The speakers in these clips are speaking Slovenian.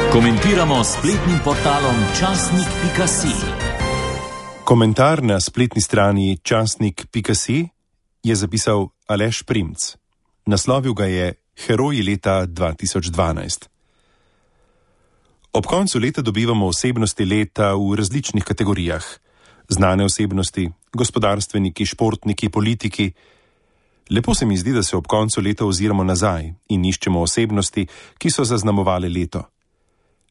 Komentiramo s spletnim portalom časnik.si. Komentar na spletni strani časnik.si je zapisal Aleš Primc. Naslovil ga je Heroji leta 2012. Ob koncu leta dobivamo osebnosti leta v različnih kategorijah. Znane osebnosti, gospodarstveniki, športniki, politiki. Lepo se mi zdi, da se ob koncu leta oziramo nazaj in iščemo osebnosti, ki so zaznamovale leto.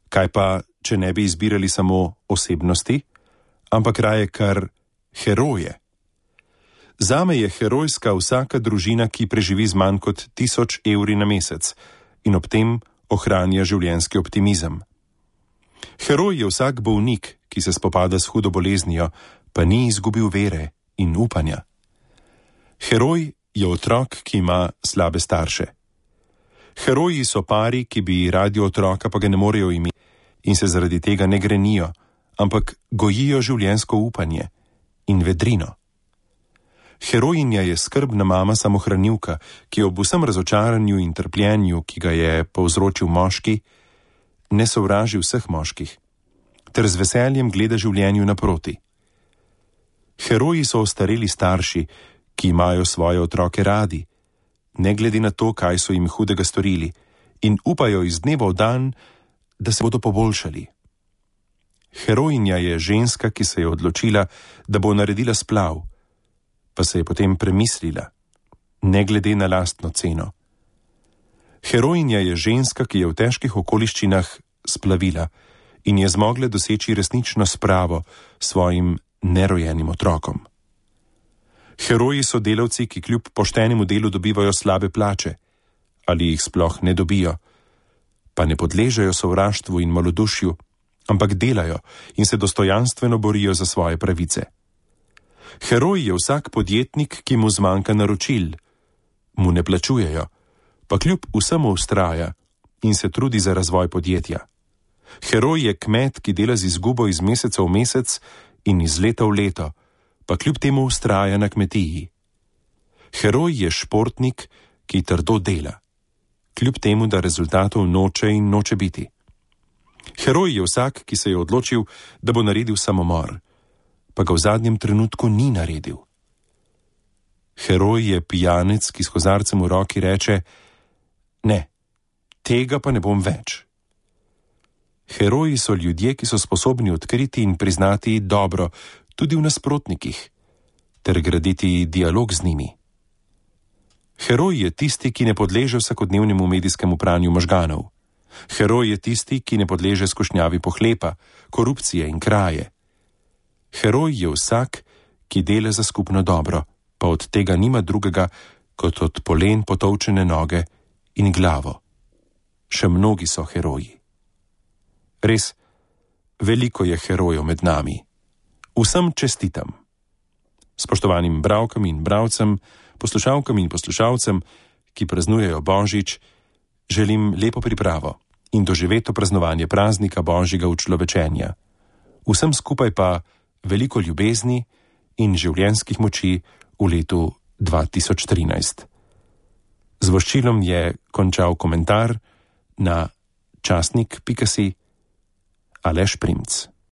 Kaj pa, če ne bi izbirali samo osebnosti, ampak raje kar heroje? Zame je herojska vsaka družina, ki preživi z manj kot 1000 evri na mesec in ob tem ohranja življenjski optimizem. Heroj je vsak bolnik, ki se spopada s hudo boleznijo, pa ni izgubil vere in upanja. Heroj je otrok, ki ima slabe starše. Heroji so pari, ki bi radi otroka, pa ga ne morejo imeti in se zaradi tega ne grenijo, ampak gojijo življenjsko upanje in vedrino. Herojinja je skrbna mama samohranilka, ki ob vsem razočaranju in trpljenju, ki ga je povzročil moški, ne sovraži vseh moških, ter z veseljem gleda življenju naproti. Heroji so ostareli starši, ki imajo svoje otroke radi, ne glede na to, kaj so jim hudega storili, in upajo iz dneva v dan, da se bodo poboljšali. Herojinja je ženska, ki se je odločila, da bo naredila splav, pa se je potem premislila, ne glede na lastno ceno. Herojinja je ženska, ki je v težkih okoliščinah splavila in je zmogla doseči resnično spravo svojim nerojenim otrokom. Heroji so delavci, ki kljub poštenemu delu dobivajo slabe plače, ali jih sploh ne dobijo, pa ne podležejo sovraštvu in malodušju, ampak delajo in se dostojanstveno borijo za svoje pravice. Heroj je vsak podjetnik, ki mu zmanjka naročil, mu ne plačujejo, pa kljub vsemu vztraja in se trudi za razvoj podjetja. Heroj je kmet, ki dela z izgubo iz meseca v mesec in iz leta v leto, pa kljub temu vztraja na kmetiji. Heroj je športnik, ki trdo dela, kljub temu, da rezultatov noče in noče biti. Heroj je vsak, ki se je odločil, da bo naredil samomor, pa ga v zadnjem trenutku ni naredil. Heroj je pijanec, ki s kozarcem v roki reče: ne, tega pa ne bom več. Heroji so ljudje, ki so sposobni odkriti in priznati dobro tudi v nasprotnikih, ter graditi dialog z njimi. Heroj je tisti, ki ne podleže vsakodnevnemu medijskemu pranju možganov. Heroj je tisti, ki ne podleže skušnjavi pohlepa, korupcije in kraje. Heroj je vsak, ki dela za skupno dobro, pa od tega nima drugega, kot od polen potolčene noge in glavo. Še mnogi so heroji. Res, veliko je herojev med nami. Vsem čestitam. Spoštovanim bralkam in bralcem, poslušalkam in poslušalcem, ki praznujejo Božič, želim lepo pripravo in doživeto praznovanje praznika Božjega učlovečenja. Vsem skupaj pa veliko ljubezni in življenjskih moči v letu 2013. Z voščilom je končal komentar na časnik.si Aleš Primc.